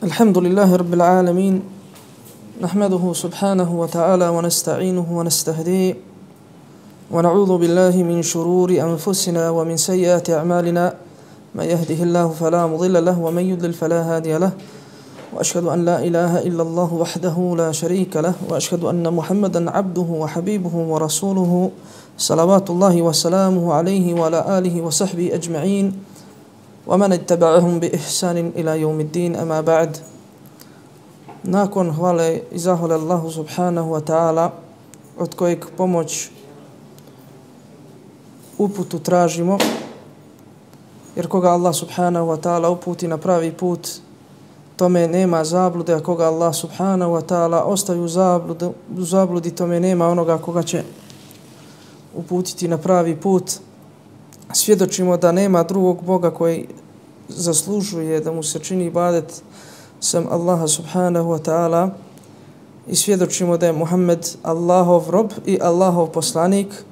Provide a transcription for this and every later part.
الحمد لله رب العالمين نحمده سبحانه وتعالى ونستعينه ونستهديه ونعوذ بالله من شرور أنفسنا ومن سيئات أعمالنا من يهده الله فلا مضل له ومن يضلل فلا هادي له وأشهد أن لا إله إلا الله وحده لا شريك له وأشهد أن محمدا عبده وحبيبه ورسوله صلوات الله وسلامه عليه وعلى آله وصحبه أجمعين ومن اتبعهم بإحسان إلى يوم الدين أما بعد. Nakon hvale i zahvale Allahu subhanahu wa ta'ala, od kojeg pomoć uputu tražimo, jer koga Allah subhanahu wa ta'ala uputi na pravi put, tome nema zablude, a koga Allah subhanahu wa ta'ala ostavi u zabludi, tome nema onoga koga će uputiti na pravi put. Svjedočimo da nema drugog Boga koji zaslužuje da mu se čini ibadet sem Allaha subhanahu wa ta'ala i svjedočimo da je Muhammed Allahov rob i Allahov poslanik.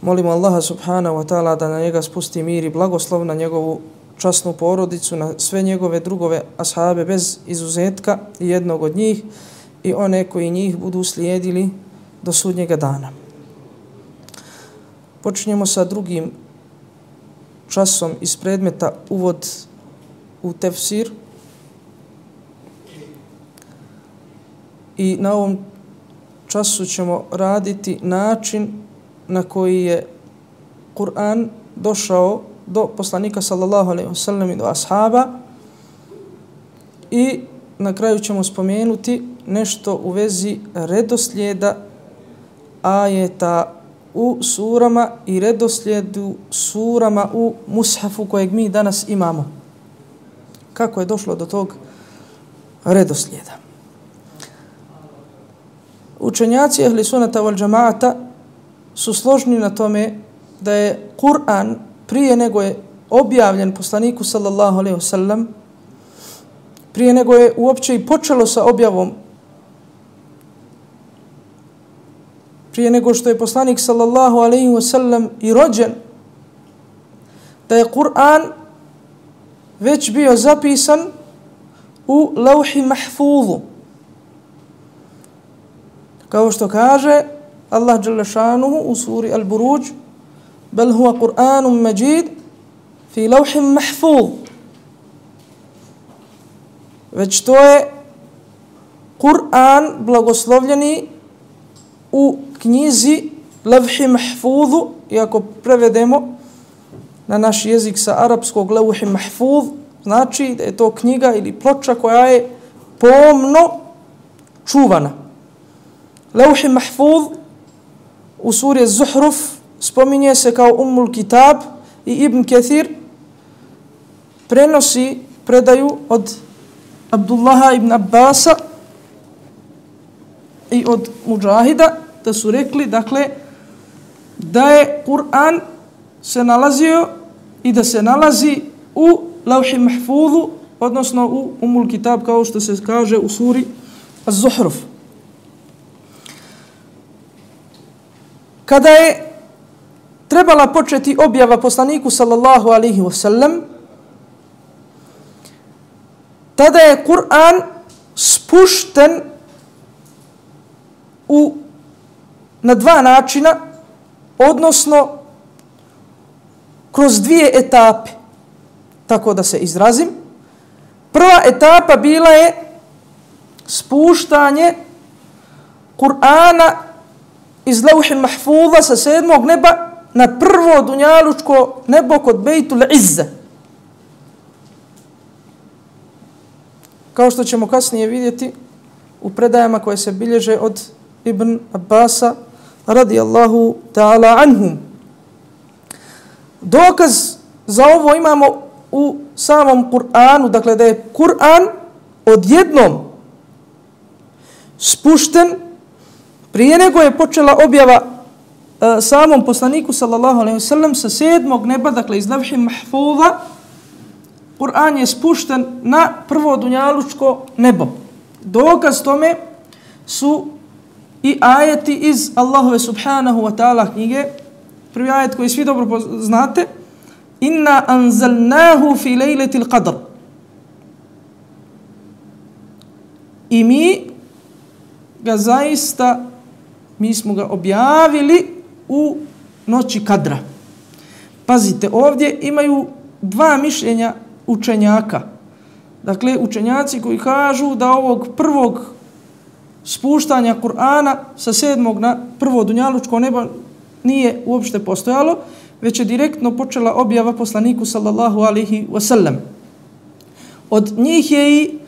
Molimo Allaha subhanahu wa ta'ala da na njega spusti mir i blagoslov, na njegovu časnu porodicu, na sve njegove drugove ashabe bez izuzetka i jednog od njih i one koji njih budu slijedili do sudnjega dana. Počinjemo sa drugim časom iz predmeta uvod u tefsir. I na ovom času ćemo raditi način na koji je Kur'an došao do poslanika sallallahu alejhi ve sellem i do ashaba, i na kraju ćemo spomenuti nešto u vezi redoslijeda ajeta u surama i redoslijedu surama u mushafu kojeg mi danas imamo. Kako je došlo do tog redoslijeda? Učenjaci ahli sunnata wal džamaata su složni na tome da je Kur'an prije nego je objavljen poslaniku sallallahu alejhi ve sellem, prije nego je uopće i počelo sa objavom, prije nego što je poslanik sallallahu alejhi ve sellem i rođen, da je Kur'an već bio zapisan u lauhi mahfuzu. Kao što kaže Allah dželle šanuhu u suri Al-Buruđ: bel huwa Kur'anun Majid fi lauhin mahfuz. Već to je Kur'an blagoslovljeni u knjizi Lauhi Mahfuzu, i ako prevedemo na naš jezik sa arapskog Lauhi Mahfuz, znači da je to knjiga ili ploča koja je pomno čuvana. Lauhi Mahfuz u suri Zuhruf spominje se kao Ummul Kitab i Ibn Kathir prenosi predaju od Abdullaha ibn Abbasa i od Mujahida da su rekli, dakle, da je Kur'an se nalazio i da se nalazi u Lauhi Mahfuzu, odnosno u Ummul Kitab, kao što se kaže u suri Az-Zuhruf. Kada je trebala početi objava poslaniku sallallahu alejhi ve sellem, tada je Kur'an spušten na dva načina, odnosno kroz dvije etape, tako da se izrazim. Prva etapa bila je spuštanje Kur'ana iz Lauhi Mahfuza sa 7. neba na prvo dunjalučko nebo kod Bejtul Izze. Kao što ćemo kasnije vidjeti u predajama koje se bilježe od Ibn Abbasa radijallahu ta'ala anhum. Dokaz za ovo imamo u samom Kur'anu, dakle da je Kur'an odjednom spušten prije nego je počela objava samom poslaniku sallallahu alejhi ve sellem sa 7. neba, dakle iz Lauhi Mahfuza. Kur'an je spušten na prvo dunjalučko nebo. Dokaz tome su i ajeti iz Allahove subhanahu wa ta'ala knjige. Prvi ajet koji svi dobro znate: inna anzalnahu fi lejletil qadr. i mi smo ga objavili u noći kadra. Pazite, ovdje imaju dva mišljenja učenjaka. Dakle, učenjaci koji kažu da ovog prvog spuštanja Kur'ana sa 7. na prvo dunjalučko nebo nije uopšte postojalo, već je direktno počela objava poslaniku sallallahu alaihi wasallam. Od njih je i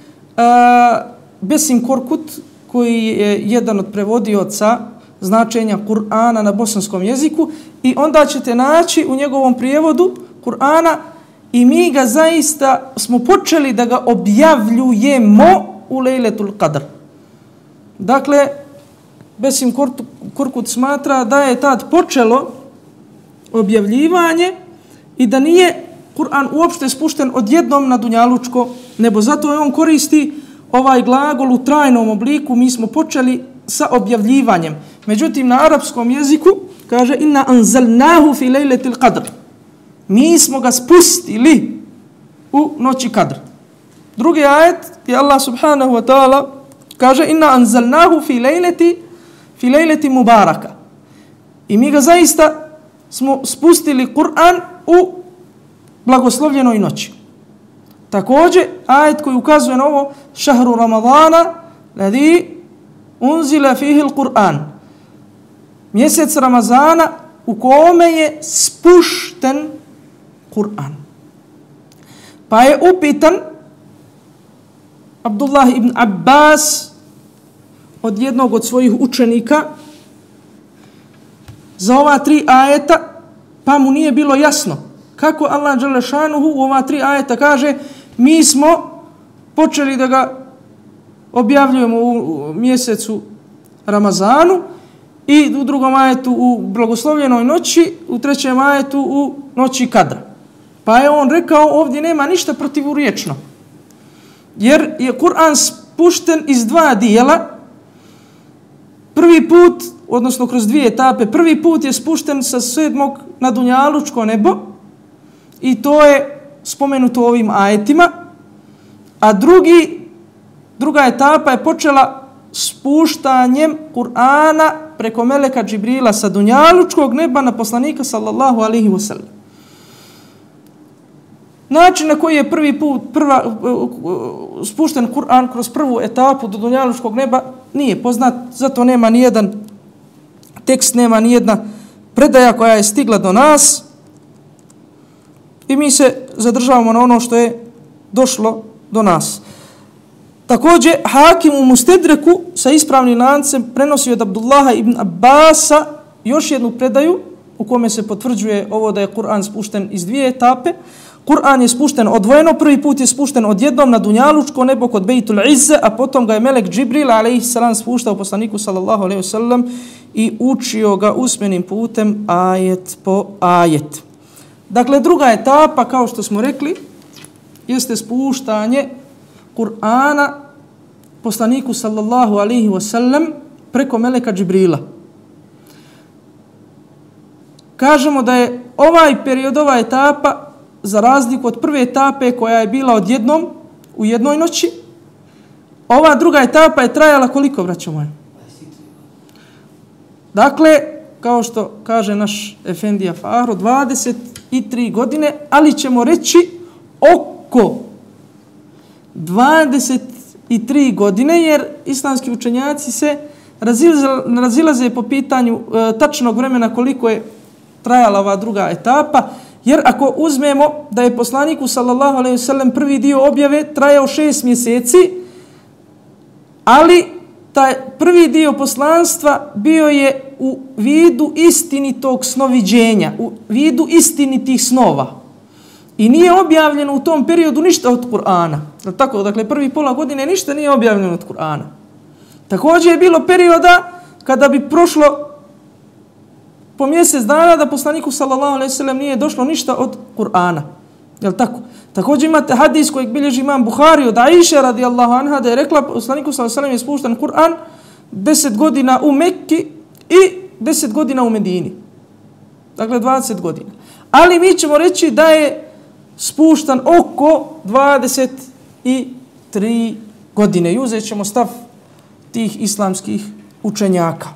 Besim Korkut, koji je jedan od prevodioca značenja Kur'ana na bosanskom jeziku, i onda ćete naći u njegovom prijevodu Kur'ana i mi ga zaista smo počeli da ga objavljujemo u Lejletul Qadr. Dakle, Besim Korkut smatra da je tad počelo objavljivanje i da nije Kur'an uopšte spušten odjednom na dunjalučko nebo. Zato je on koristi ovaj glagol u trajnom obliku, mi smo počeli sa objavljivanjem. Međutim, na arapskom jeziku kaže inna anzalnahu fi lejletil qadr. Mi smo ga spustili u noći kadr. Drugi ajet je Allah subhanahu wa ta'ala kaže inna anzalnahu fi lejleti mubaraka. I mi ga zaista smo spustili Kur'an u blagoslovljenoj noći. Također, ajet koji ukazuje na ovo, šahru Ramadana, ladhi unzila fihi l-Qur'an. Mjesec Ramazana u kome je spušten Kur'an. Pa je upitan Abdullah ibn Abbas od jednog od svojih učenika za ova 3 ajeta, pa mu nije bilo jasno kako Allah dželle šanuhu u ova 3 ajeta kaže mi smo počeli da ga objavljujemo u mjesecu Ramazanu i u drugom ajetu u blagoslovljenoj noći, u trećem ajetu u noći kadra. Pa je on rekao ovdje nema ništa protivurječno. Jer je Kur'an spušten iz 2 dijela. Prvi put, odnosno kroz 2 etape, prvi put je spušten sa 7. na dunjalučko nebo i to je spomenuto u ovim ajetima. A druga etapa je počela spuštanjem Kur'ana preko meleka Džibrila sa dunjalučkog neba na poslanika sallallahu alaihi wasallam. Način na koji je spušten Kur'an kroz prvu etapu do dunjalučkog neba nije poznat, zato nema ni jedan tekst, nema ni jedna predaja koja je stigla do nas i mi se zadržavamo na ono što je došlo do nas. Također, Hakim u Mustedreku sa ispravnim lancem prenosi od Abdullaha ibn Abbasa još jednu predaju u kome se potvrđuje ovo da je Kur'an spušten iz 2 etape. Kur'an je spušten odvojeno, prvi put je spušten odjednom na dunjalučko nebo kod Bejtul Izze, a potom ga je melek Džibril alejhiselam spuštao poslaniku sallallahu alejhi ve sellem i učio ga usmenim putem ajet po ajet. Dakle, druga etapa, kao što smo rekli, jeste spuštanje Kur'ana poslaniku sallallahu alejhi ve sellem preko meleka Džibrila. Kažemo da je ovaj period, ova etapa za razliku od prve etape koja je bila odjednom u jednoj noći, ova druga etapa je trajala koliko, braćo moje? Dakle, kao što kaže naš efendija Fahro, 23 godine, ali ćemo reći oko 23 godine, jer islamski učenjaci se razilaze po pitanju tačnog vremena koliko je trajala ova druga etapa. Jer ako uzmemo da je poslaniku sallallahu alejhi ve sellem prvi dio objave trajao 6 mjeseci, ali taj prvi dio poslanstva bio je u vidu istinitog snoviđenja, u vidu istinitih snova. I nije objavljeno u tom periodu ništa od Kur'ana. Tako, dakle, prvi pola godine ništa nije objavljeno od Kur'ana. Također je bilo perioda kada bi prošlo po mjesec dana da poslaniku sallallahu alejhi ve sellem nije došlo ništa od Kur'ana. Jel tako? Također imate hadis kojeg bilježi imam Buhari od Aisha radijallahu anha da je rekla poslaniku sallallahu alejhi ve sellem je spušten Kur'an 10 godina u Mekki i 10 godina u Medini. Dakle 20 godina. Ali mi ćemo reći da je spuštan oko 23 godine. I uzet ćemo stav tih islamskih učenjaka.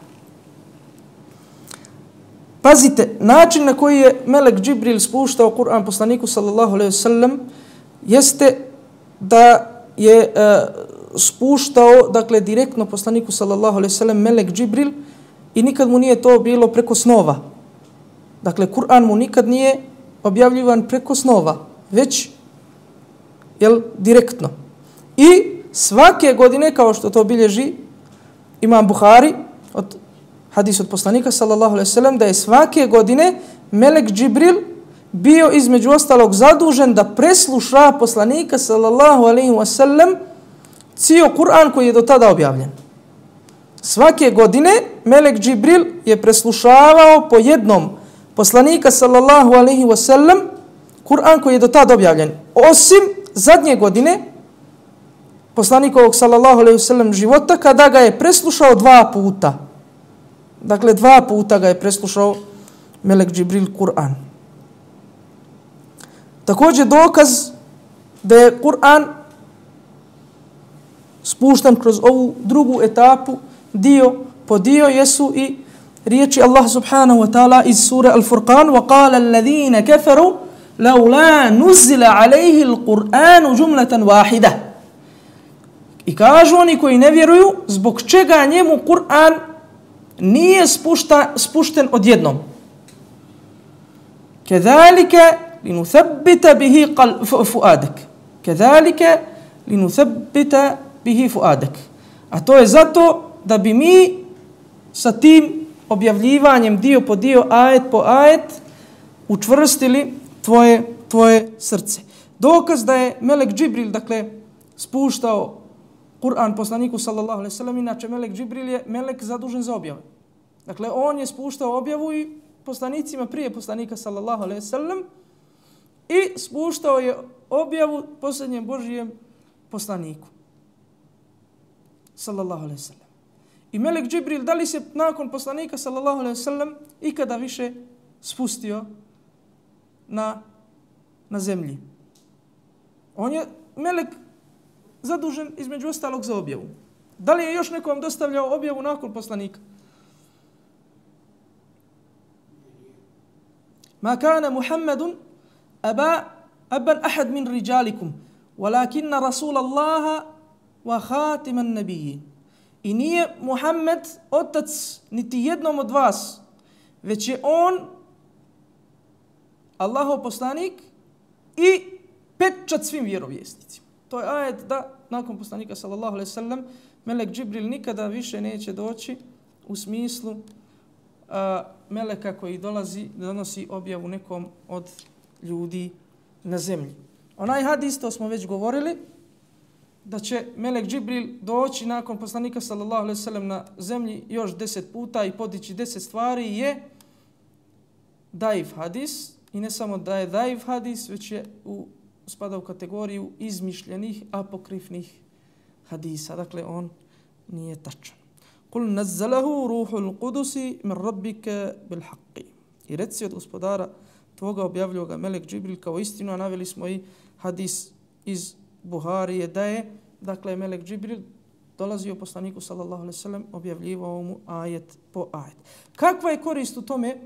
Pazite, način na koji je melek Džibril spuštao Kur'an poslaniku sallallahu alejhi ve sellem jeste da je spuštao, dakle, direktno poslaniku sallallahu alejhi ve sellem melek Džibril i nikad mu nije to bilo preko snova. Dakle, Kur'an mu nikad nije objavljivan preko snova, već direktno. I svake godine, kao što to bilježi Imam Buhari, od hadis od poslanika sallallahu alejhi ve sellem, da je svake godine melek Džibril bio između ostalog zadužen da presluša poslanika sallallahu alejhi ve sellem cijel Kur'an koji je do tada objavljen. Svake godine melek Džibril je preslušavao po jednom poslanika sallallahu alejhi ve sellem Kur'an koji je do tada objavljen. Osim zadnje godine poslanikovog sallallahu alejhi ve sellem života, kada ga je preslušao 2 puta. Dakle, 2 puta ga je preslušao melek Džibril Kur'an. Također dokaz da je Kur'an spušten kroz ovu drugu etapu, dio po dio, jesu i riječi Allah subhanahu wa ta'ala iz sure Al-Furqan: وَقَالَ الَّذِينَ كَفَرُوا لَوْلَا نُزِّلَ عَلَيْهِ الْقُرْآنُ جُمْلَةً وَاحِدَةً. I kažu oni koji ne vjeruju, zbog čega njemu Kur'an nije spušten odjednom. كَذَلِكَ لِنُثَبِّتَ بِهِ فُؤَادَكَ كَذَلِكَ لِنُثَبِّتَ بِهِ فُؤَادَكَ. A to je zato da bi mi sa tim objavljivanjem dio po dio, ajet po ajet, učvrstili tvoje srce. Dokaz da je melek Džibril, dakle, spuštao Kur'an poslaniku sallallahu alejhi ve sellem, inače melek Džibril je melek zadužen za objavu. Dakle, on je spuštao objavu i poslanicima prije poslanika sallallahu alejhi ve sellem i spuštao je objavu posljednjem Božijem poslaniku sallallahu alejhi ve sellem. I melek Džibril, da li se nakon poslanika sallallahu alejhi ve sellem ikada više spustio na zemlji? On je melek zadužen između ostalog za objavu. Da li je još nekom dostavljao objavu nakon poslanika? Ma kana Muhammadun aban ahad min rijalikum, walakinna Rasulallaha wa khatiman nabiyyin. I nije Muhammed otac niti jednom od vas, već je on Allahov poslanik i pečat svim vjerovjesnicima. To je ajet da nakon poslanika sallallahu alejhi ve sellem melek Džibril nikada više neće doći u smislu meleka koji donosi objavu nekom od ljudi na zemlji. Onaj hadis, to smo već govorili, da će melek Džibril doći nakon poslanika sallallahu alejhi ve sellem na zemlji još 10 puta i podići 10 stvari, je daif hadis. I ne samo da je daif hadis, već je spada u kategoriju izmišljenih apokrifnih hadisa. Dakle, on nije tačan. Kul nazzalahu ruhul qudusi min rabbika bil haqqi. I reci od gospodara tvoga objavljuje ga melek Džibril kao istinu, a naveli smo i hadis iz Buharije da je, dakle, melek Džibril dolazio poslaniku sallallahu alejhi ve sellem, objavljivao mu ajet po ajet. Kakva je korist u tome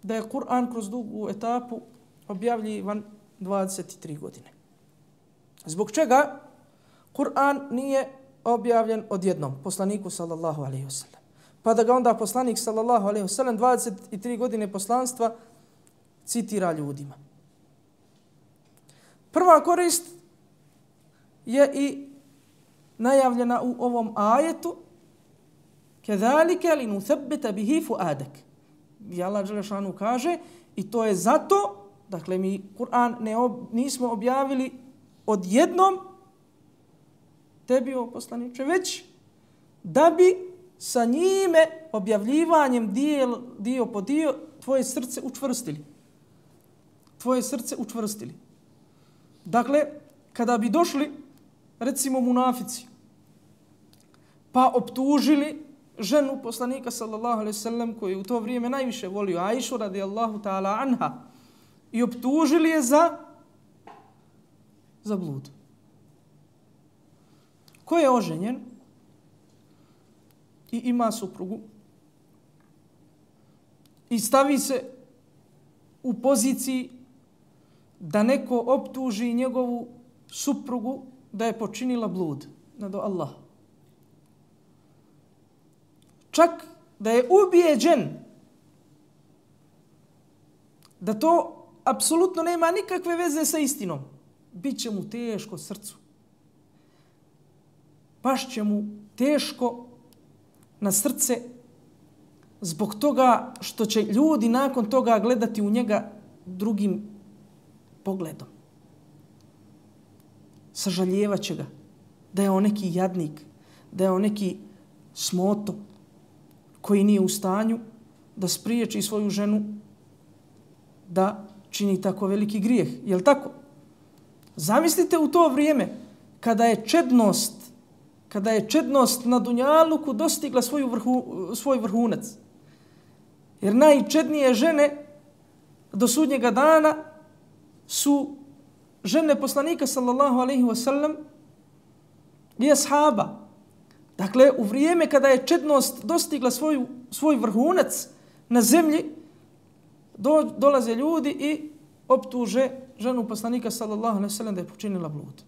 da je Kur'an kroz dugu etapu objavljivan 23 godine? Zbog čega Kur'an nije objavljen odjednom poslaniku sallallahu alejhi ve sellem? Pa da ga onda poslanik sallallahu alejhi ve sellem 23 godine poslanstva citira ljudima. Prva korist je i najavljena u ovom ajetu: كَذَلِكَ لِنُثَبِّتَ بِهِ فُؤَادَكَ. I Allah dželešanu kaže, i to je zato, dakle, mi Kur'an nismo objavili odjednom tebi, o poslaniče, već da bi sa njime objavljivanjem dio po dio tvoje srce učvrstili. Tvoje srce učvrstili. Dakle, kada bi došli, recimo, munafici, pa optužili ženu poslanika sallallahu alejhi ve sellem, koju u to vrijeme najviše volio, Aishu radijallahu ta'ala anha, i optužili je za blud. ko je oženjen i ima suprugu i stavi se u poziciji da neko optuži njegovu suprugu da je počinila blud nad Allaha. Čak da je ubijeđen da to apsolutno nema nikakve veze sa istinom, bit će mu teško srcu. Baš će mu teško na srce zbog toga što će ljudi nakon toga gledati u njega drugim pogledom. Sažaljevat će ga da je on neki jadnik, da je on neki smoto koji nije u stanju da spriječi svoju ženu da čini tako veliki grijeh. Je li tako? Zamislite u to vrijeme kada je čednost na dunjaluku dostigla svoj vrhunac. Jer najčednije žene do sudnjega dana su žene poslanika sallallahu alejhi ve sellem i ashaba. Dakle, u vrijeme kada je čednost dostigla svoj vrhunac na zemlji, dolaze ljudi i optuže ženu poslanika sallallahu alejhi ve sellem da je počinila blud.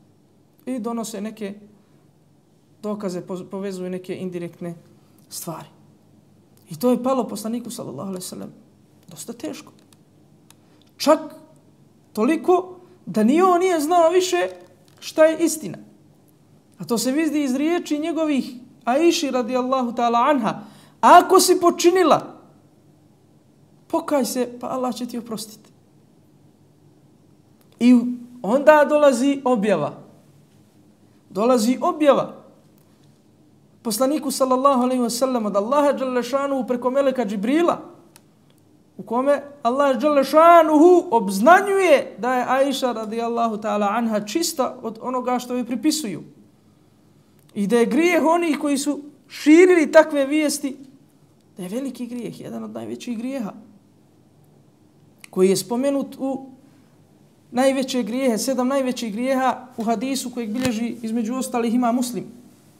I donose neke dokaze, povezuju neke indirektne stvari. I to je palo poslaniku sallallahu alejhi ve sellem dosta teško. Čak toliko da ni on nije znao više šta je istina. A to se vidi iz riječi njegovih Aiši radijallahu ta'ala anha. Ako si počinila, pokaj se, pa Allah će ti oprostiti. I onda dolazi objava. Dolazi objava poslaniku sallallahu alejhi ve sellem od Allaha dželle šanuhu preko meleka Džibrila, u kome Allah dželle šanuhu obznanjuje da je Aiša radijallahu ta'ala anha čista od onoga što joj pripisuju. I da je grijeh onih koji su širili takve vijesti, da je veliki grijeh, jedan od najvećih grijeha, koji je spomenut u najveće grijehe, 7 najvećih grijeha u hadisu kojeg bilježi između ostalih ima Muslim.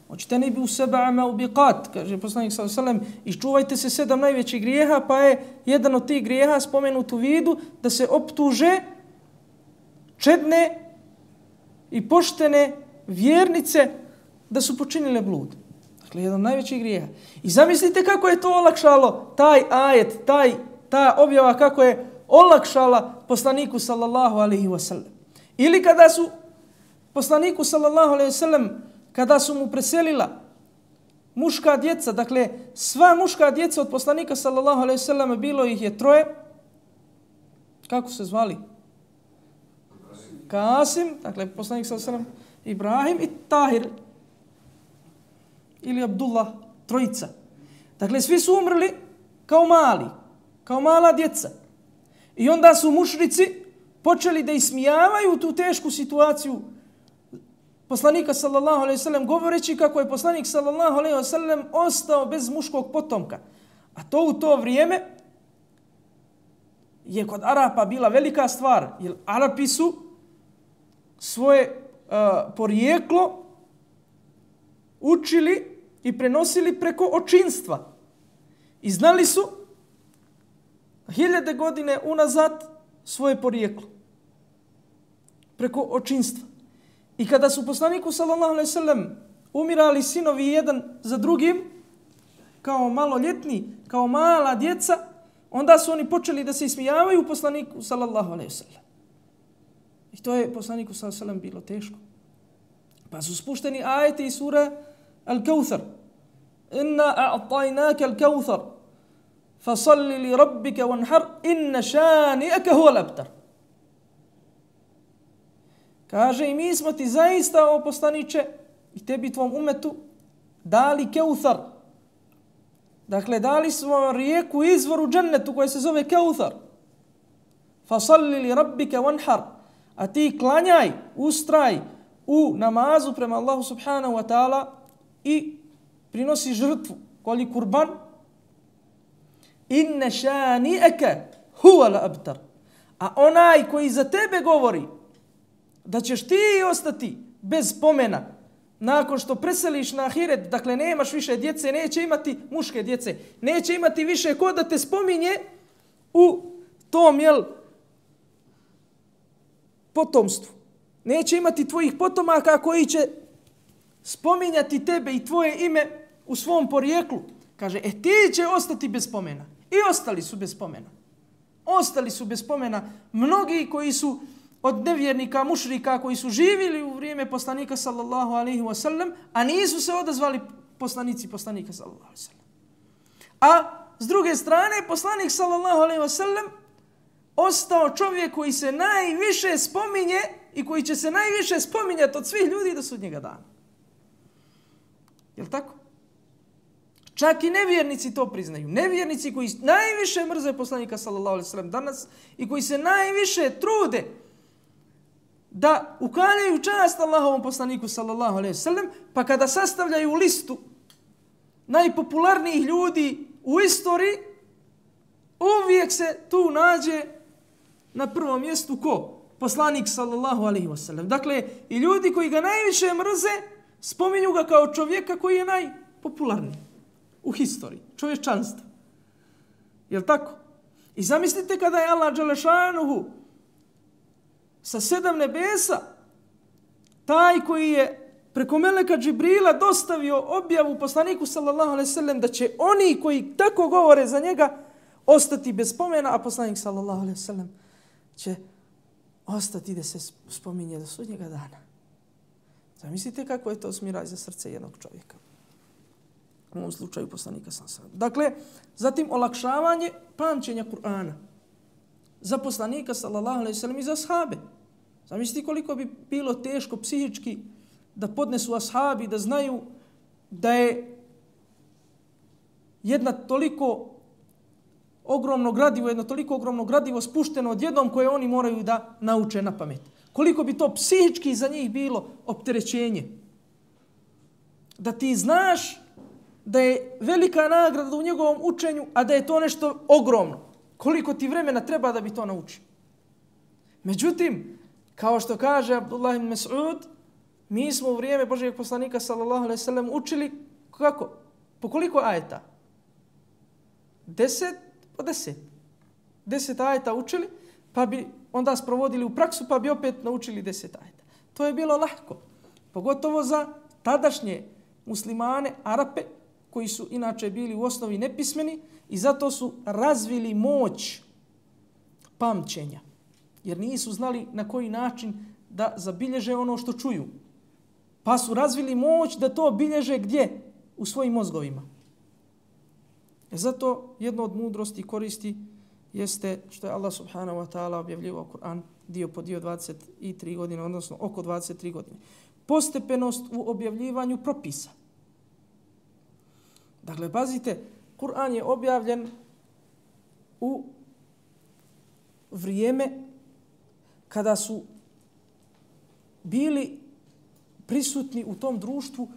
Hoćete ne bi u seba maubiqat, kaže poslanik sallallahu alejhi ve sellem, iščuvajte se 7 najvećih grijeha, pa je jedan od tih grijeha spomenut u vidu da se optuže čedne i poštene vjernice da su počinile blud. Dakle, jedan od najvećih grijeha. I zamislite kako je to olakšalo, taj ajet, ta objava, kako je olakšala poslaniku sallallahu alejhi ve sellem. Ili kada su poslaniku sallallahu alejhi ve sellem, kada su mu preselila muška djeca, dakle sva muška djeca od poslanika sallallahu alejhi ve sellem, bilo ih je 3. Kako se zvali? Kasim, dakle poslanik sallallahu alejhi ve sellem, Ibrahim i Tahir ili Abdullah, 3. Dakle, svi su umrli kao mala djeca. I onda su mušrici počeli da ismijavaju tu tešku situaciju poslanika sallallahu alejhi ve sellem, govoreći kako je poslanik sallallahu alejhi ve sellem ostao bez muškog potomka. A to u to vrijeme je kod Arapa bila velika stvar, jer Arapi su svoje porijeklo učili i prenosili preko očinstva. I znali su 1000 godine unazad svoje porijeklo preko očinstva. I kada su poslaniku sallallahu alejhi ve sellem umirali sinovi jedan za drugim, kao maloljetni, kao mala djeca, onda su oni počeli da se ismijavaju poslaniku sallallahu alejhi ve sellem. I to je poslaniku sallallahu alejhi ve sellem bilo teško. Pa su spušteni ajeti iz sure Al-Kauthar. Inna a'tajnaka al-Kauthar fasalli li rabbika wanhar inna shani'aka huwa al-abtar. Kaže, i mi smo ti zaista, o poslaniče, i tebi tvom umetu dali Kauthar. Dakle, dali smo rijeku, izvor u džennetu koja se zove Kauthar. Fasalli li rabbika wanhar. A ti klanjaj, ustraj u namazu prema Allahu subhanahu wa ta'ala i prinosi žrtvu, kolji kurban. Inne šani'aka huwa al-abtar. A onaj koji za tebe govori da ćeš ti ostati bez pomena, nakon što preseliš na ahiret, dakle nemaš više djece, neće imati muške djece, neće imati više ko da te spominje u tom, potomstvu. Neće imati tvojih potomaka koji će spominjati tebe i tvoje ime u svom porijeklu. Kaže, ti će ostati bez spomena. I ostali su bez spomena. Ostali su bez spomena mnogi koji su od nevjernika, mušrika, koji su živjeli u vrijeme poslanika sallallahu alaihi wa sallam, a nisu se odazvali poslanici poslanika sallallahu alaihi wa sallam. A s druge strane, poslanik sallallahu alaihi wa sallam ostao čovjek koji se najviše spominje i koji će se najviše spominjati od svih ljudi do sudnjega dana. Jel' tako? Čak i nevjernici to priznaju. Nevjernici koji najviše mrze poslanika sallallahu alejhi ve sellem danas i koji se najviše trude da ukaljaju čast Allahovom poslaniku sallallahu alejhi ve sellem, pa kada sastavljaju listu najpopularnijih ljudi u istoriji, uvijek se tu nađe na prvom mjestu ko? Poslanik sallallahu alejhi ve sellem. Dakle, i ljudi koji ga najviše mrze spominju ga kao čovjeka koji je najpopularniji u historiji, čovječanstva. Jel' tako? I zamislite kada je Allah dželešanuhu sa 7 nebesa, taj koji je preko meleka Džibrila dostavio objavu poslaniku sallallahu alejhi ve sellem da će oni koji tako govore za njega ostati bez spomena, a poslanik sallallahu alejhi ve sellem će ostati da se spominje do sudnjega dana. Zamislite kako je to smiraj za srce jednog čovjeka. U ovom slučaju poslanika sallallahu alejhi ve sellem. Dakle, zatim olakšavanje pamćenja Kur'ana za poslanika sallallahu alejhi ve sellem i za ashabe. Zamislite koliko bi bilo teško psihički da podnesu ashabi, da znaju da je jedno toliko ogromno gradivo spušteno odjednom koje oni moraju da nauče na pamet. Koliko bi to psihički za njih bilo opterećenje. Da ti znaš da je velika nagrada u njegovom učenju, a da je to nešto ogromno. Koliko ti vremena treba da bi to naučio. Međutim, kao što kaže Abdullah ibn Mas'ud, mi smo u vrijeme Božijeg poslanika sallallahu alejhi ve sellem učili kako? Po koliko ajeta? 10 po 10. 10 ajeta učili, pa bi onda sprovodili u praksu, pa bi opet naučili 10 ajeta. To je bilo lahko. Pogotovo za tadašnje muslimane, Arape, koji su inače bili u osnovi nepismeni i zato su razvili moć pamćenja. Jer nisu znali na koji način da zabilježe ono što čuju. Pa su razvili moć da to bilježe gdje? U svojim mozgovima. Zato jedno od mudrosti koristi jeste što je Allah subhanahu wa ta'ala objavljivao Kur'an dio po dio 23 godine, odnosno oko 23 godine. Postepenost u objavljivanju propisa. Dakle, pazite, Kur'an je objavljen u vrijeme kada su bili prisutni u tom društvu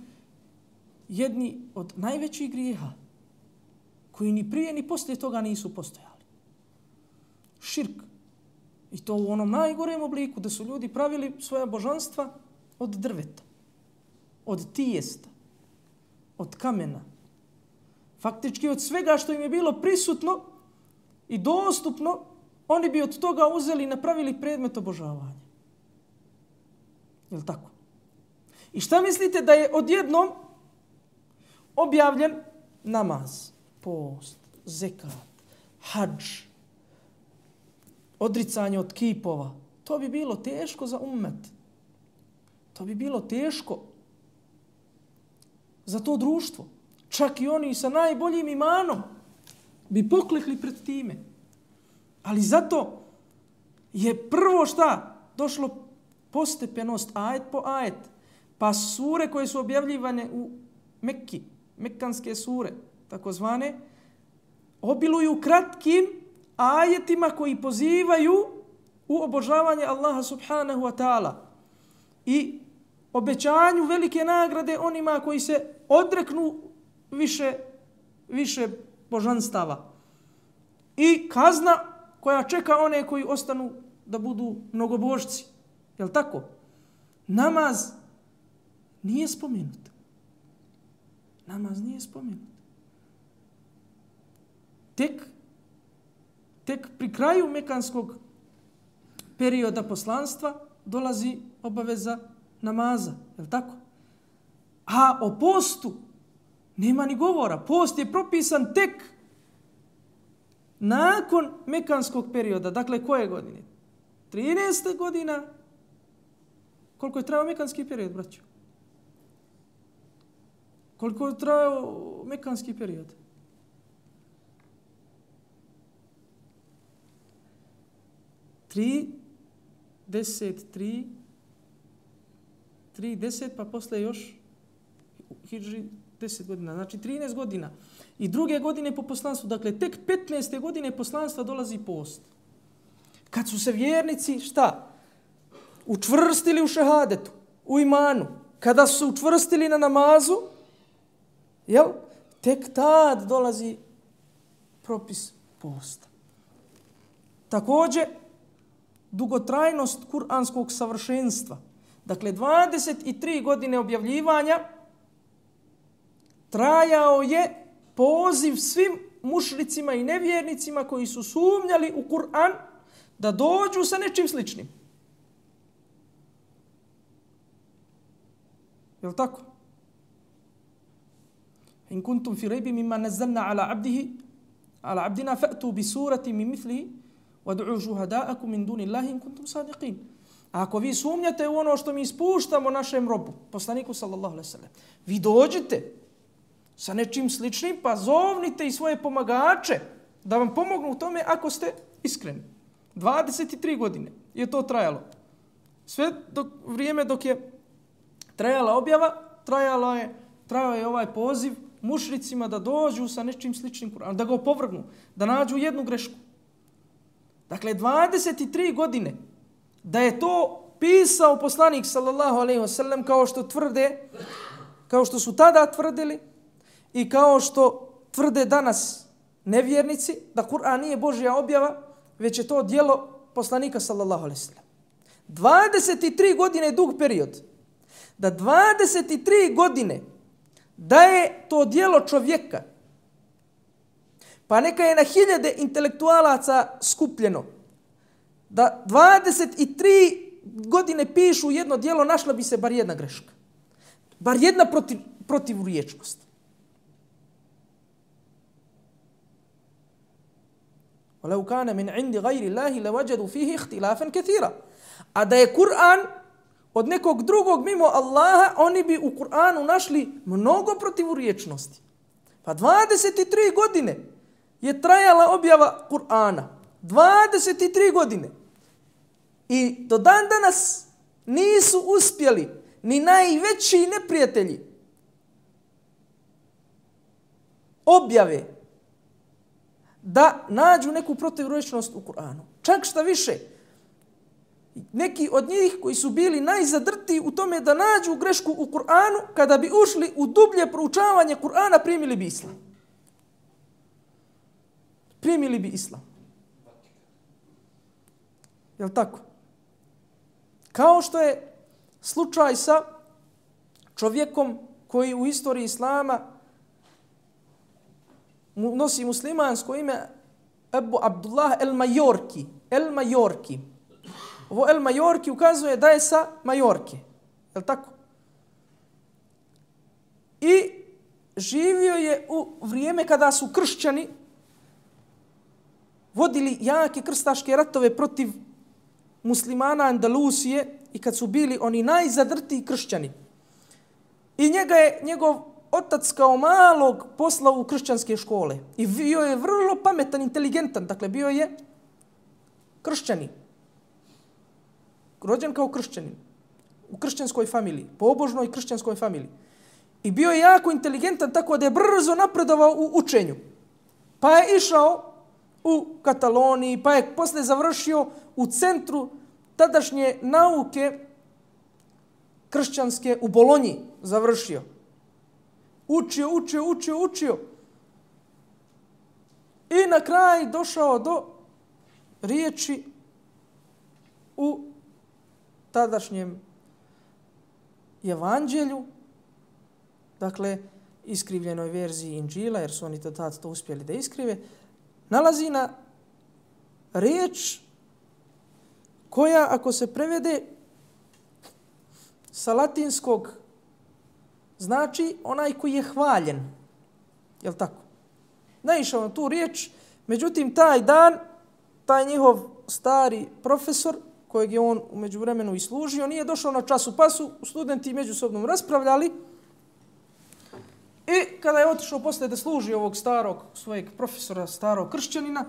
jedni od najvećih grijeha koji ni prije ni poslije toga nisu postojali. Širk. I to u onom najgorem obliku da su ljudi pravili svoja božanstva od drveta, od tijesta, od kamena. Faktički od svega što im je bilo prisutno i dostupno, oni bi od toga uzeli i napravili predmet obožavanja. Je li tako? I šta mislite da je odjednom objavljen namaz, post, zekat, hadž, odricanje od kipova? To bi bilo teško za ummet. To bi bilo teško za to društvo. Čak i oni sa najboljim imanom bi poklekli pred time. Ali zato je prvo šta? Došlo postepenost, ajet po ajet. Pa sure koje su objavljivane u Mekki, mekkanske sure, takozvane, obiluju kratkim ajetima koji pozivaju u obožavanje Allaha subhanahu wa ta'ala i obećanju velike nagrade onima koji se odreknu više božanstava. I kazna koja čeka one koji ostanu da budu mnogobožci. Jel' tako? Namaz Nije spomenut. Namaz nije spomenut. Tek pri kraju mekanskog perioda poslanstva dolazi obaveza namaza. Je li tako? A o postu nema ni govora. Post je propisan tek nakon mekanskog perioda. Dakle, koje godine? 13. godina. Koliko je trajao mekanski period, braćo? Koliko je trajao mekanski period? 30, pa posle još hidži 10 godina. Znači 13 godina. I druge godine po poslanstvu. Dakle, tek 15. godine poslanstva dolazi post. Kad su se vjernici, šta? Učvrstili u šehadetu, u imanu. Kada su se učvrstili na namazu, jel? Tek tad dolazi propis posta. Također, dugotrajnost kuranskog savršenstva. Dakle, 23 godine objavljivanja trajao je poziv svim mušricima i nevjernicima koji su sumnjali u Kur'an da dođu sa nečim sličnim. Je li tako? In kuntum fi rejbi mimma nazzalna ala abdina fa'tu bi surati min mithlihi wad'u shuhada'akum min dunillahi in kuntum sadiqin. Ako vi sumnjate u ono što mi ispuštamo našem robu, poslaniku sallallahu alejhi ve sellem, vi dođite sa nečim sličnim, pa zovnite i svoje pomagače da vam pomognu u tome ako ste iskreni. 23 godine je to trajalo. Sve vrijeme dok je trajala objava, trajao je ovaj poziv mušricima da dođu sa nečim sličnim Kur'anom, da ga opovrgnu, da nađu jednu grešku. Dakle, 23 godine da je to pisao poslanik sallallahu alejhi ve sellem kao što su tada tvrdili i kao što tvrde danas nevjernici da Kur'an nije Božja objava, već je to djelo poslanika sallallahu alejhi ve sellem. 23 godine je dug period. Da 23 godine da je to djelo čovjeka, pa neka je na hiljade intelektualaca skupljeno, da 23 godine pišu jedno djelo, našla bi se bar jedna greška. Bar jedna protivriječnost. وَلَوْ كَانَ مِنْ عِنْدِ غَيْرِ اللَّهِ لَوَجَدُوا فِيهِ اخْتِلَافًا كَثِيرًا. A da je Kur'an od nekog drugog mimo Allaha, oni bi u Kur'anu našli mnogo protivriječnosti. Pa 23 godine je trajala objava Kur'ana. 23 godine. I do dan danas nisu uspjeli ni najveći neprijatelji objave da nađu neku protivriječnost u Kur'anu. Čak šta više, neki od njih koji su bili najzadrtiji u tome da nađu grešku u Kur'anu, kada bi ušli u dublje proučavanje Kur'ana, primili bi islam. Primili bi islam. Jel' tako? Kao što je slučaj sa čovjekom koji u istoriji islama nosi muslimansko ime Abu Abdullah el-Majorki. El-Majorki. Ovo el-Majorki ukazuje da je sa Majorke. Je li tako? I živio je u vrijeme kada su kršćani vodili jake krstaške ratove protiv muslimana Andalusije i kad su bili oni najzadrtiji kršćani. I njega je njegov otac kao malog poslao u kršćanske škole. I bio je vrlo pametan, inteligentan. Dakle, bio je kršćanin. Rođen kao kršćanin. U kršćanskoj familiji. Pobožnoj kršćanskoj familiji. I bio je jako inteligentan, tako da je brzo napredovao u učenju. Pa je išao u Kataloniji, pa je posle završio u centru tadašnje nauke kršćanske u Bolonji. Završio. Učio. I na kraj došao do riječi u tadašnjem evanđelju, dakle, iskrivljenoj verziji Inđila, jer su oni to uspjeli da iskrive, nalazi na riječ koja, ako se prevede sa latinskog, znači onaj koji je hvaljen. Jel' tako? Naišao na tu riječ, međutim, taj dan, taj njihov stari profesor, kojeg je on u međuvremenu i služio, nije došao na času, pa su studenti međusobno raspravljali. I kada je otišao posle da služi ovog starog svojeg profesora, starog kršćanina,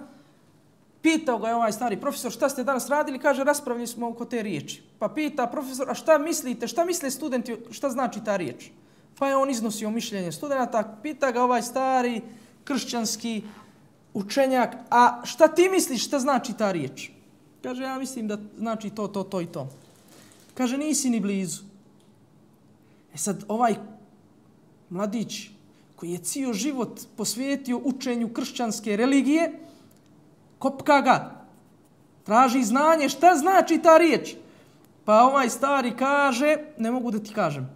pitao ga je ovaj stari profesor, šta ste danas radili? Kaže, raspravljali smo oko te riječi. Pa pita profesor, a šta mislite, šta misle studenti, šta znači ta riječ? Pa je on iznosio mišljenje studenta, pita ga ovaj stari kršćanski učenjak, a šta ti misliš, šta znači ta riječ? Kaže, ja mislim da znači to i to. Kaže, nisi ni blizu. E sad, ovaj mladić koji je cijel život posvetio učenju kršćanske religije, kopka ga, traži znanje, šta znači ta riječ? Pa ovaj stari kaže, ne mogu da ti kažem.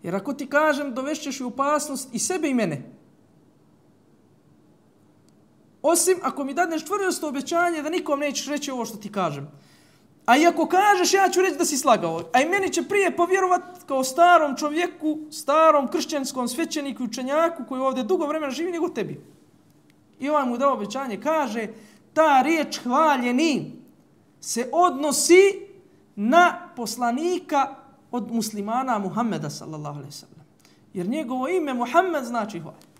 Jer ako ti kažem, dovešćeš u opasnost i sebe i mene. Osim ako mi dadneš čvrsto obećanje da nikom nećeš reći ovo što ti kažem. A i ako kažeš, ja ću reći da si slagao. A i meni će prije povjerovati kao starom čovjeku, starom kršćanskom svećeniku i učenjaku koji ovdje dugo vremena živi nego tebi. I ovaj mu dao obećanje, kaže, ta riječ hvaljeni se odnosi na poslanika od muslimana Muhammeda sallallahu alejhi ve sellem. Jer njegovo ime Muhammed znači hvaljen.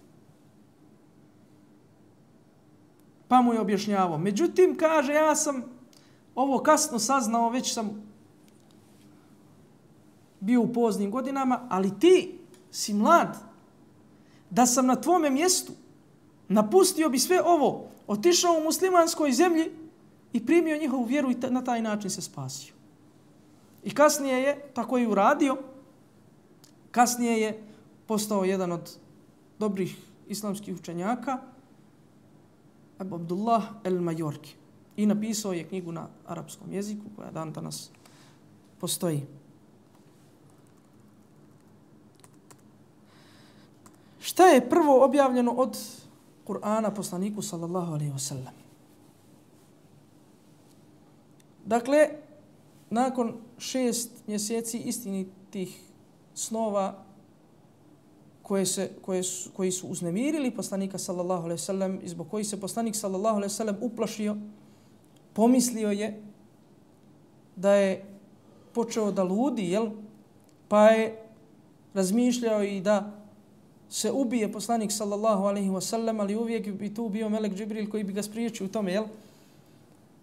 Pa mu je objašnjavao. Međutim, kaže, ja sam ovo kasno saznao, već sam bio u poznim godinama, ali ti si mlad. Da sam na tvome mjestu, napustio bi sve ovo, otišao u muslimanskoj zemlji i primio njihovu vjeru i na taj način se spasio. I kasnije je, tako i uradio, kasnije je postao jedan od dobrih islamskih učenjaka, Abu Abdullah el-Majorki. I napisao je knjigu na arapskom jeziku koja dan danas postoji. Šta je prvo objavljeno od Kur'ana poslaniku sallallahu alejhi ve sellem? Dakle, nakon 6 mjeseci istinitih snova koji su uznemirili poslanika sallallahu alejhi ve sellem i zbog kojih se poslanik sallallahu alejhi ve sellem uplašio, pomislio je da je počeo da ludi, pa je razmišljao i da se ubije poslanik sallallahu alejhi ve sellem, ali uvijek bi tu bio melek Džibril koji bi ga spriječio u tome,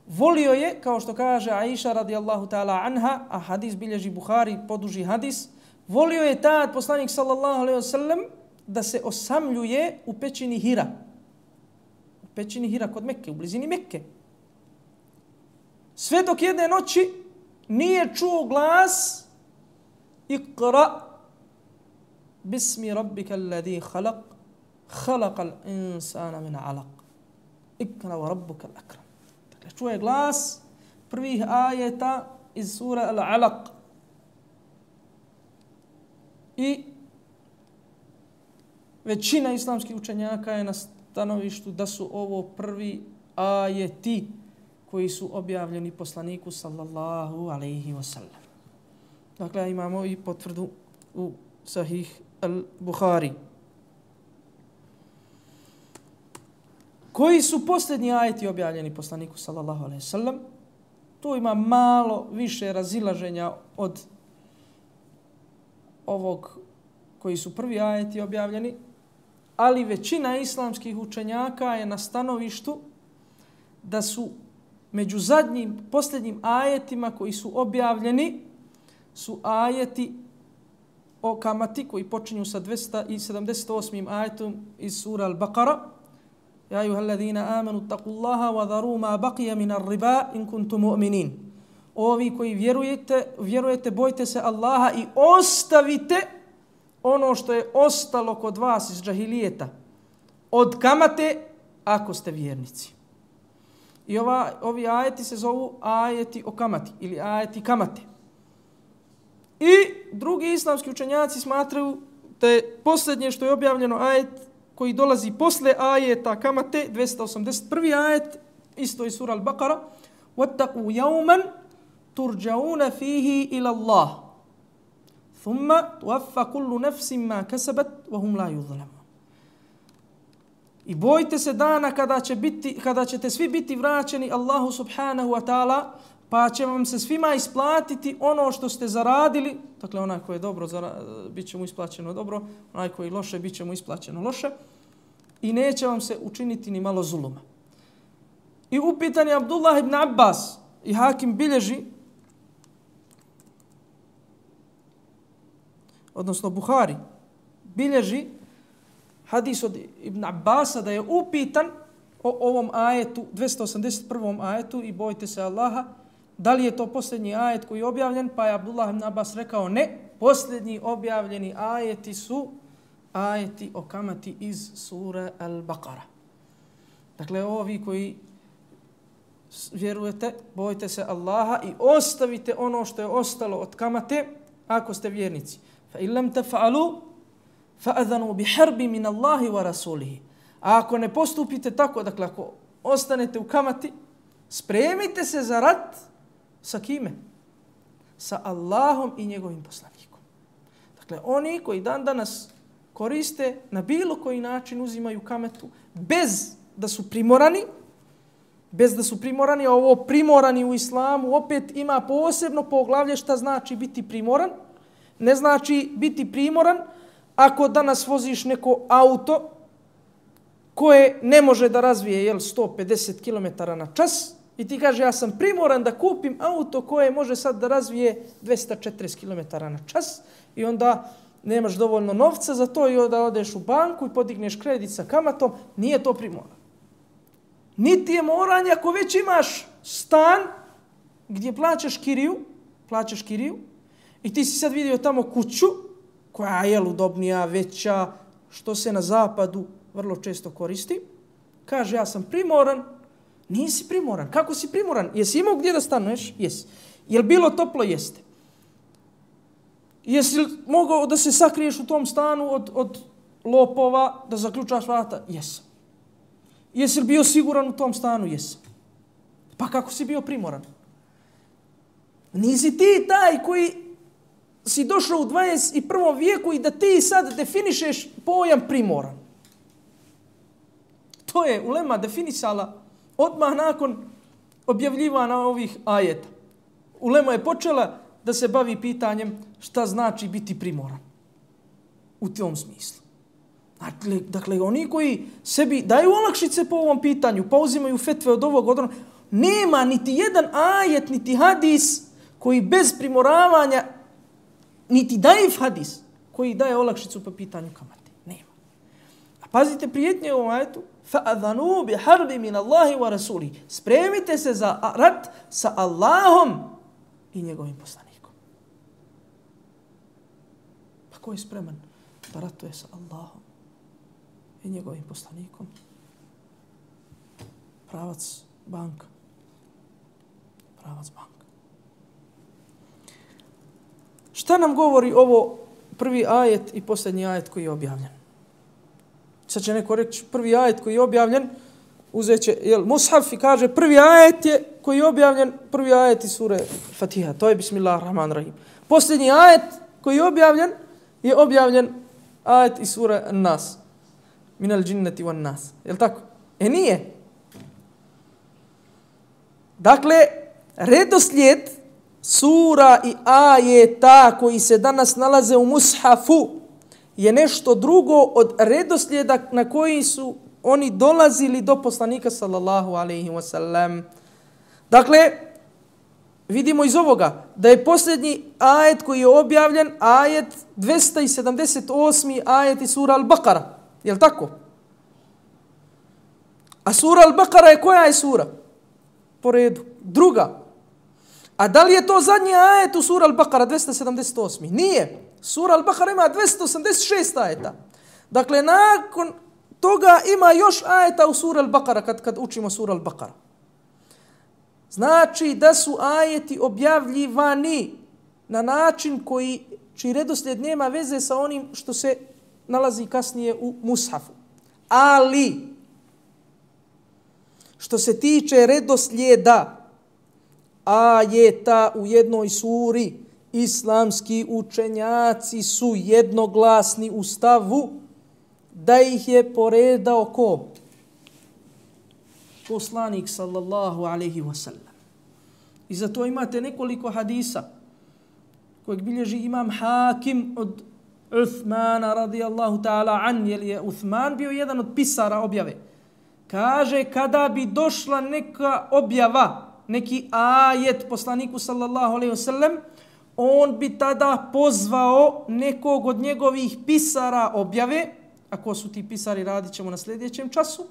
Volio je, kao što kaže Aisha radijallahu ta'ala anha, a hadis bilježi Buhari, poduži hadis, volio je tad poslanik sallallahu alejhi ve sellem da se osamljuje u pećini Hira. U pećini Hira kod Mekke, u blizini Mekke. Sve dok jedne noći nije čuo glas Iqra bismi rabbika alladhi khalaq khalaqal insana min alaq Iqra wa rabbuka al-akram. Dakle, čuje glas prvih ajeta iz sura Al-Alaq. I većina islamskih učenjaka je na stanovištu da su ovo prvi ajeti koji su objavljeni poslaniku sallallahu alejhi ve sellem. Dakle, imamo i potvrdu u Sahih al-Buhari. Koji su posljednji ajeti objavljeni poslaniku sallallahu alejhi ve sellem? Tu ima malo više razilaženja od ovog koji su prvi ajeti objavljeni, ali većina islamskih učenjaka je na stanovištu da su među posljednjim ajetima koji su objavljeni su ajeti o kamati koji počinju sa 278. ajetom iz sura Al-Baqara. Ja ayyuhalladhina amanu taqullaha wa dharu ma baqiya min ar-riba in kuntum mu'minin. Ovi koji vjerujete, bojte se Allaha i ostavite ono što je ostalo kod vas iz džahilijeta od kamate ako ste vjernici. I ovi ajeti se zovu ajeti o kamati ili ajeti kamate. I drugi islamski učenjaci smatraju da je posljednje što je objavljeno ajet koji dolazi posle ajeta kamate, 281. ajet, isto iz sura Al-Baqara, وَاتَّقُوا يَوْمًا تُرْجَعُونَ فِيهِ إِلَى اللَّهِ ثُمَّ تُوَفَّ كُلُّ نَفْسٍ مَا كَسَبَتْ وَهُمْ لَا يُظْلَمُونَ. I bojte se dana kada ćete svi biti vraćeni Allahu subhanahu wa ta'ala, pa će vam se svima isplatiti ono što ste zaradili. Dakle, onaj koji je dobro, bit će mu isplaćeno dobro, onaj koji je loše, bit će mu isplaćeno loše. I neće vam se učiniti ni malo zuluma. I upitan je Abdullah ibn Abbas i Hakim bilježi, odnosno Buhari, bilježi hadis od Ibn Abbasa da je upitan o ovom ajetu, 281. ajetu i bojte se Allaha, da li je to posljednji ajet koji je objavljen, pa je Abdullah ibn Abbas rekao ne, posljednji objavljeni ajeti su ajeti o kamati iz sure Al-Baqara. Dakle, ovi koji vjerujete, bojte se Allaha i ostavite ono što je ostalo od kamate ako ste vjernici. Fa illam taf'alu fa'adhanu biharbi min Allahi wa rasulihi. A ako ne postupite tako, dakle ako ostanete u kamati, spremite se za rat sa kime? Sa Allahom i njegovim poslanikom. Dakle, oni koji dan danas koriste na bilo koji način uzimaju kamatu bez da su primorani, a ovo primorani u islamu opet ima posebno poglavlje šta znači biti primoran. Ne znači biti primoran ako danas voziš neko auto koje ne može da razvije 150 km na čas i ti kaže ja sam primoran da kupim auto koje može sad da razvije 240 km na čas i onda nemaš dovoljno novca za to i onda odeš u banku i podigneš kredit sa kamatom, nije to primoran. Niti je moranje ako već imaš stan gdje plaćaš kiriju i ti si sad vidio tamo kuću koja je udobnija, veća, što se na zapadu vrlo često koristi. Kaže, ja sam primoran. Nisi primoran. Kako si primoran? Jesi imao gdje da stanuješ? Jesi. Je li bilo toplo? Jeste. Jesi mogao da se sakriješ u tom stanu od lopova, da zaključaš vrata? Jesam. Jesi li bio siguran u tom stanu? Jesam. Pa kako si bio primoran? Nisi ti taj koji si došao u 21. vijeku i da ti sad definišeš pojam primoran. To je ulema definisala odmah nakon objavljivanja ovih ajeta. Ulema je počela da se bavi pitanjem šta znači biti primoran. U tom smislu. Dakle, oni koji sebi daju olakšice po ovom pitanju, pa uzimaju fetve od ovog odrona, nema niti jedan ajet, niti hadis koji bez primoravanja, niti daif hadis koji daje olakšicu po pitanju kamate. Nema. A pazite prijetnje u ovom ajetu. فَأَذَنُوا بِحَرْبِ مِنَ اللَّهِ وَرَسُولِهِ. Spremite se za rat sa Allahom i njegovim poslanikom. Pa ko je spreman da ratuje sa Allahom i njegovim poslanikom? Pravac banka. Šta nam govori ovo prvi ajet i posljednji ajet koji je objavljen? Sad će neko reći prvi ajet koji je objavljen, uzet će mushaf i kaže prvi ajet je koji je objavljen, prvi ajet iz sure Fatiha. To je Bismillahirrahmanirrahim. Posljednji ajet koji je objavljen ajet iz sure An-Nas. Minal džinneti wan nas. Je li tako? Nije. Dakle, redoslijed sura i ajeta koji se danas nalaze u mushafu je nešto drugo od redoslijeda na koji su oni dolazili do poslanika sallallahu alejhi ve sellem. Dakle, vidimo iz ovoga da je posljednji ajet koji je objavljen ajet 278. ajet iz sura Al-Baqara. Je li tako? A sura Al-Baqara je koja je sura? Po redu. Druga. A da li je to zadnji ajet u sura Al-Baqara 278? Nije. Sura Al-Baqara ima 286 ajeta. Dakle, nakon toga ima još ajeta u sura Al-Baqara kad učimo sura Al-Baqara. Znači da su ajeti objavljivani na način čiji redoslijed nema veze sa onim što se nalazi kasnije u mushafu. Ali, što se tiče redoslijeda ajeta u jednoj suri, islamski učenjaci su jednoglasni u stavu da ih je poredao ko? Poslanik sallallahu alejhi ve sellem. I zato imate nekoliko hadisa kojeg bilježi imam Hakim od Uthmana radijallahu ta'ala an, jer je Uthman bio jedan od pisara objave. Kaže, kada bi došla neka objava, neki ajet poslaniku sallallahu alejhi ve sellem, on bi tada pozvao nekog od njegovih pisara objave, ako su ti pisari, radit ćemo na sljedećem času,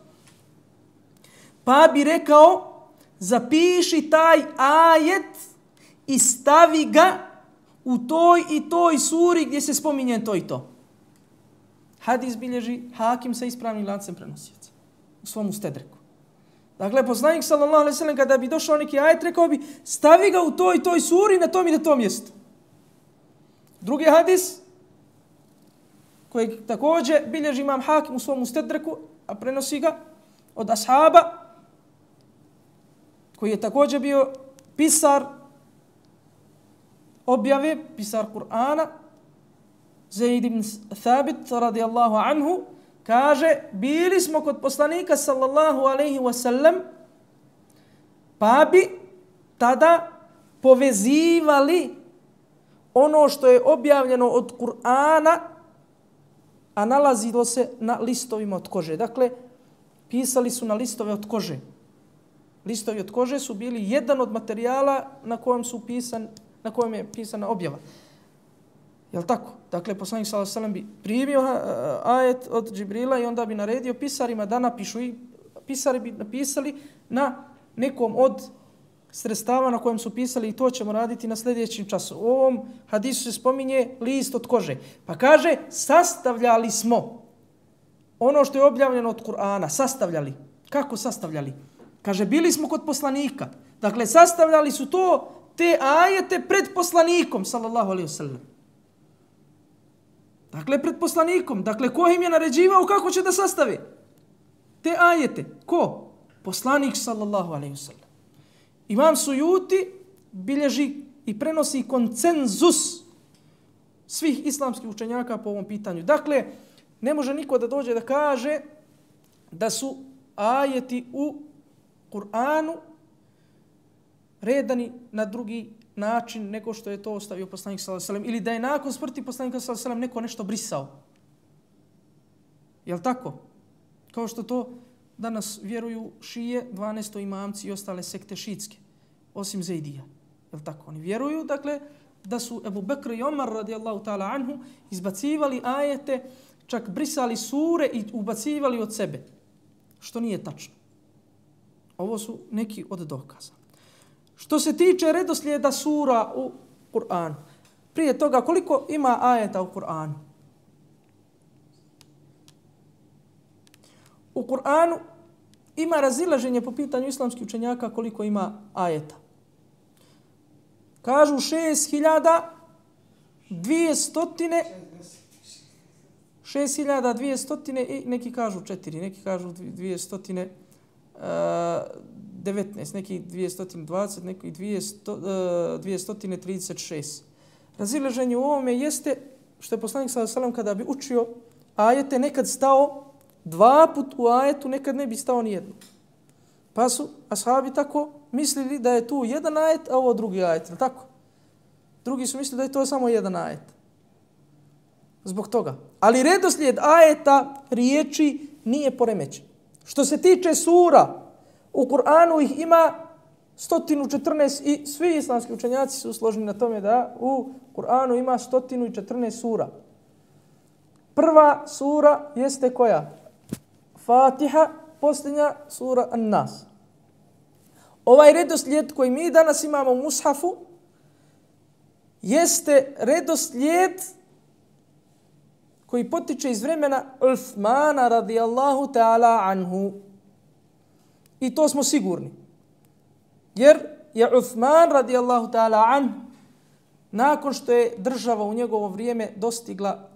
pa bi rekao, zapiši taj ajet i stavi ga u toj i toj suri gdje se spominje to i to. Hadis bilježi Hakim sa ispravnim lancem prenosioca u svom ustedreku. Dakle, poslanik sallallahu alejhi ve sellem kada bi došao neki ajet, rekao bi, stavi ga u toj i toj suri na tom i na tom mjestu. Drugi hadis, kojeg također bilježi imam Hakim u svom ustedreku, a prenosi ga od ashaba, koji je također bio pisar objave, pisar Kur'ana, Zaid ibn Thabit radijallahu anhu, kaže, bili smo kod poslanika sallallahu alejhi ve sellem, pa bi tada povezivali ono što je objavljeno od Kur'ana, a nalazilo se na listovima od kože. Dakle, pisali su na listove od kože. Listovi od kože su bili jedan od materijala na kojem je pisana objava. Jel tako? Dakle, poslanik sallallahu alejhi ve sellem bi primio ajet od Džibrila i onda bi naredio pisarima da napišu, i pisari bi napisali na nekom od sredstava na kojem su pisali, i to ćemo raditi na sljedećem času. U ovom hadisu se spominje list od kože. Pa kaže, sastavljali smo ono što je objavljeno od Kur'ana. Sastavljali. Kako sastavljali? Kaže, bili smo kod poslanika. Dakle, sastavljali su te ajete pred poslanikom, sallallahu alejhi ve sellem. Dakle, pred poslanikom. Dakle, ko im je naređivao kako će da sastave te ajete? Ko? Poslanik, sallallahu alejhi ve sellem. Imam Sujuti bilježi i prenosi konsenzus svih islamskih učenjaka po ovom pitanju. Dakle, ne može niko da dođe da kaže da su ajeti u Kur'anu redani na drugi način nego što je to ostavio poslanik sallallahu alejhi ve sellem, ili da je nakon smrti poslanika sallallahu alejhi ve sellem neko nešto brisao. Jel tako? Kao što to danas vjeruju šije, 12 imamci i ostale sekte šiitske, osim Zaidija. Jel tako? Oni vjeruju, dakle, da su Ebu Bekr i Omar radijallahu ta'ala anhu izbacivali ajete, čak brisali sure i ubacivali od sebe. Što nije tačno. Ovo su neki od dokaza. Što se tiče redoslijeda sura u Kur'anu, prije toga koliko ima ajeta u Kur'anu? U Kur'anu ima razilaženje po pitanju islamskih učenjaka koliko ima ajeta. Kažu 6200 i neki kažu 4, neki kažu 219, neki 220, neki 236. Razilaženje u ovome jeste što je poslanik sallallahu alejhi ve sellem kada bi učio ajete nekad stao 2 put u ajetu, nekad ne bi stao ni jedno. Pa su ashabi tako mislili da je tu jedan ajet, a ovo drugi ajet, tako? Drugi su mislili da je to samo jedan ajet. Zbog toga. Ali redoslijed ajeta, riječi, nije poremećen. Što se tiče sura, u Kur'anu ih ima 114 i svi islamski učenjaci su složni na tome da u Kur'anu ima 114 sura. Prva sura jeste koja? Fatiha, posljednja sura An-Nas. Ovaj redoslijed koji mi danas imamo u mushafu jeste redoslijed koji potiče iz vremena Uthmana radijallahu ta'ala anhu. I to smo sigurni. Jer je Uthman radijallahu ta'ala anhu nakon što je država u njegovo vrijeme dostigla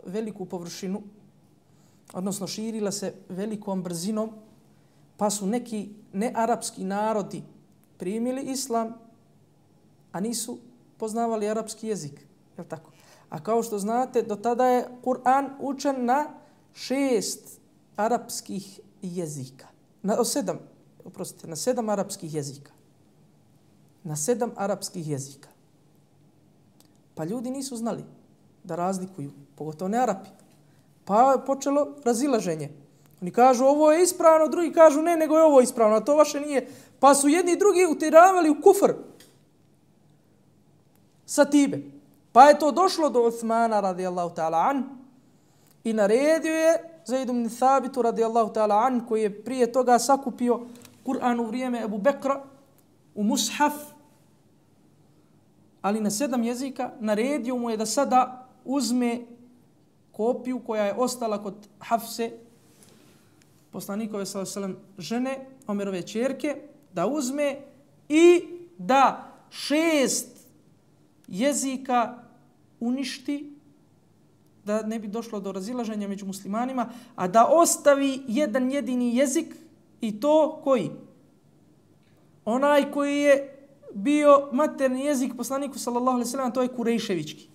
veliku površinu, odnosno širila se velikom brzinom, pa su neki nearapski narodi primili islam, a nisu poznavali arapski jezik. Je li tako? A kao što znate, do tada je Kur'an učen na 6 arapskih jezika. Na 7 arapskih jezika. Na 7 arapskih jezika. Pa ljudi nisu znali da razlikuju, pogotovo ne Arapi. Pa je počelo razilaženje. Oni kažu ovo je ispravno, drugi kažu ne, nego je ovo ispravno, a to vaše nije. Pa su jedni i drugi utjeravali u kufr sa time. Pa je to došlo do Uthmana radijallahu ta'ala an i naredio je Zaid ibn Thabitu radijallahu ta'ala an, koji je prije toga sakupio Kur'an u vrijeme Ebu Bekra u mushaf, ali na 7 jezika. Naredio mu je da sada uzme kopiju koja je ostala kod Hafse, poslanikove s.a.v. žene, Omerove ćerke, da uzme i da 6 jezika uništi, da ne bi došlo do razilaženja među muslimanima, a da ostavi jedan jedini jezik, i to koji? Onaj koji je bio materni jezik poslaniku sallallahu alejhi ve sellem, to je kurejševički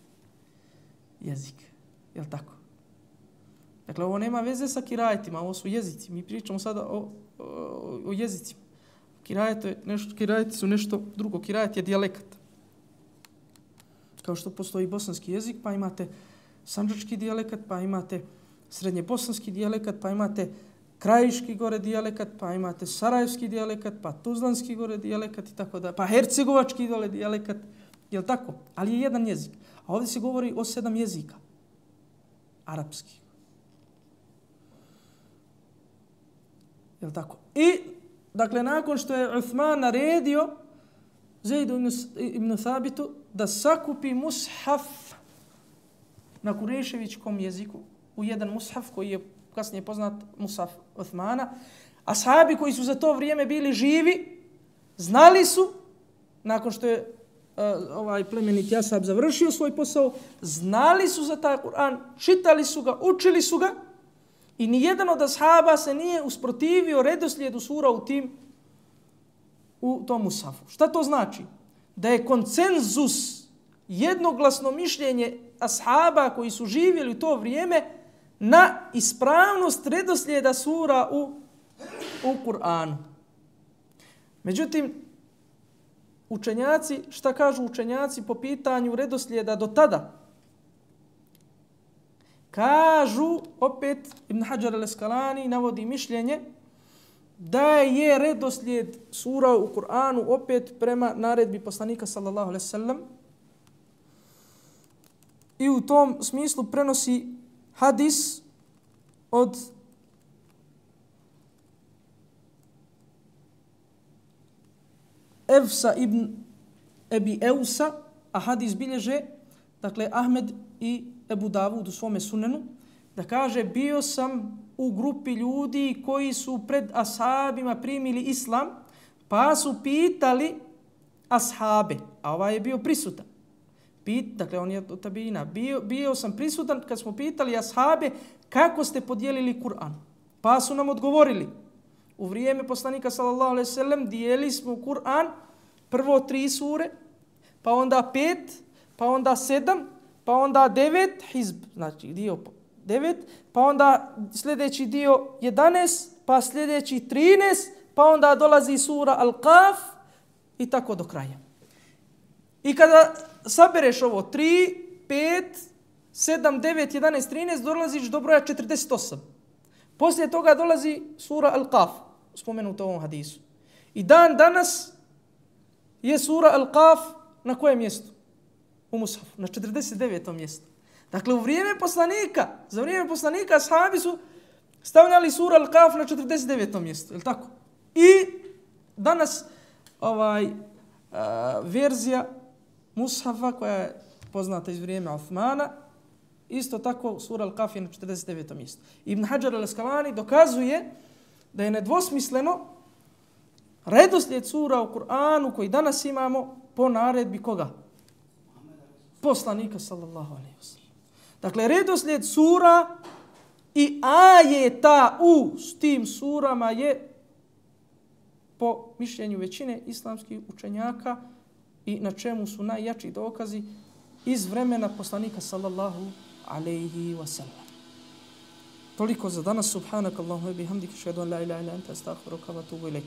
jezik. Jel tako? Dakle, ovo nema veze sa kirajetima, ovo su jezici. Mi pričamo sada o jezicima. Kirajeti su nešto drugo. Kirajet je dijalekat. Kao što postoji bosanski jezik, pa imate sandžački dijalekat, pa imate srednjebosanski dijalekat, pa imate krajiški gore dijalekat, pa imate sarajevski dijalekat, pa tuzlanski gore dijalekat i tako da, pa hercegovački dole dijalekat, je li tako? Ali je jedan jezik. A ovdje se govori o 7 jezika. Arapski. Je li tako? I, dakle, nakon što je Uthman naredio Zaidu ibn Thabitu da sakupi mushaf na kureševičkom jeziku, u jedan mushaf koji je kasnije poznat mushaf Uthmana, ashabi koji su za to vrijeme bili živi, znali su, nakon što je ovaj plemeniti ashab završio svoj posao, znali su za taj Kur'an, čitali su ga, učili su ga, i nijedan od ashaba se nije usprotivio redoslijedu sura u tom mushafu. Šta to znači? Da je konsenzus, jednoglasno mišljenje ashaba koji su živjeli u to vrijeme na ispravnost redoslijeda sura u Kur'anu. Međutim, učenjaci, šta kažu učenjaci po pitanju redoslijeda do tada? Kažu, opet Ibn Hajar al-Asqalani navodi mišljenje da je redoslijed sura u Kur'anu opet prema naredbi poslanika sallallahu alejhi ve sellem, i u tom smislu prenosi hadis od Evsa ibn Ebi Eusa, a hadis bilježe, dakle, Ahmed i Ebu Davud u svome sunenu, da kaže, bio sam u grupi ljudi koji su pred ashabima primili islam, pa su pitali ashabe, a ovaj je bio prisutan. Dakle, on je od tabina. Bio sam prisutan kad smo pitali ashabe kako ste podijelili Kur'an. Pa su nam odgovorili, u vrijeme poslanika sallallahu alejhi ve sellem dijeli smo Kur'an prvo 3 sure, pa onda 5, pa onda 7, pa onda 9 hizb, znači dio 9, pa onda sljedeći dio 11, pa sljedeći 13, pa onda dolazi sura Al-Qaf i tako do kraja. I kada sabereš ovo 3, 5, 7, 9, 11, 13, dolaziš do broja 48. Poslije toga dolazi sura Al-Qaf, spomenuta u ovom hadisu. I dan danas je sura Al-Qaf na kojem mjestu? U mushafu, na 49. mjestu. Dakle, za vrijeme poslanika ashabi su stavljali sura Al-Qaf na 49. mjestu, je li tako? I danas verzija mushafa koja je poznata iz vrijeme Uthmana, isto tako sura Al-Qaf je na 49. mjestu. Ibn Hajar al-Asqalani dokazuje da je nedvosmisleno redoslijed sura u Kur'anu koji danas imamo po naredbi koga? Poslanika sallallahu alejhi ve sellem. Dakle, redoslijed sura i ajeta u tim surama je po mišljenju većine islamskih učenjaka i na čemu su najjači dokazi iz vremena poslanika sallallahu alejhi ve sellem. Toliko za danas. Subhanakallahumma wa bihamdika, ashhadu an la ilaha illa anta, astaghfiruka wa atubu ilaik.